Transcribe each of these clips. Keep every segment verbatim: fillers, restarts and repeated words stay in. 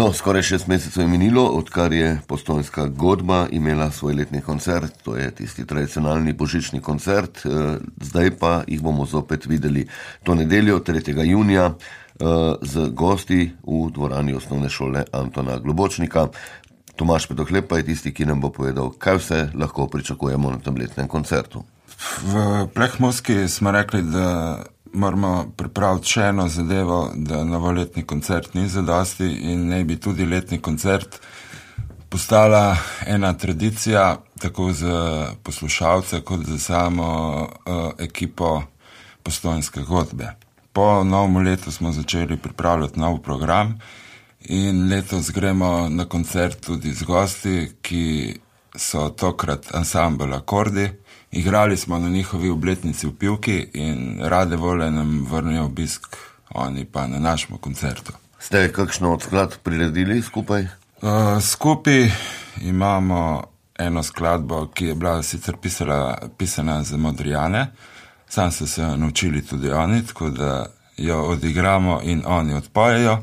No, skoraj šest mesecev je minilo, odkar je Postojnska godba imela svoj letni koncert, to je tisti tradicionalni božični koncert, zdaj pa jih bomo zopet videli to nedeljo, tretjega junija, z gosti v dvorani osnovne šole Antona Globočnika. Tomaž Pedohleb pa je tisti, ki nam bo povedal, kaj vse lahko pričakujemo na tem letnem koncertu. V Prekmurski smo rekli, da moramo pripraviti še eno zadevo, da novoletni koncert ni zadosti in naj bi tudi letni koncert postala ena tradicija, tako za poslušalce, kot za samo uh, ekipo Postojnske godbe. Po novem letu smo začeli pripravljati nov program in letos gremo na koncert tudi z gosti, ki so tokrat ansambel Akordi. Igrali smo na njihovi obletnici v Pivki in rade volje nam vrnijo obisk, oni pa na našem koncertu. Ste kakšno od skladb priredili skupaj? Uh, skupaj imamo eno skladbo, ki je bila sicer pisala, pisana za Modrijane, sam so se naučili tudi oni, tako da jo odigramo in oni odpojejo.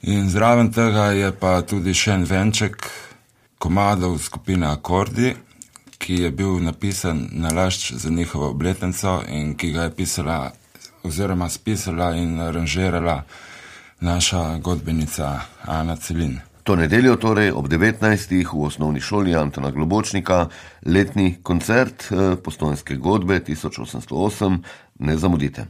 In zraven tega je pa tudi še en venček komadov skupine Akordi, ki je bil napisan na lašč za njihovo obletnico in ki ga je pisala oziroma spisala in aranžirala naša godbenica Ana Celin. To nedeljo torej ob devetnajstih v osnovni šoli Antona Globočnika letni koncert Postojnske godbe tisoč osemsto osem, ne zamudite.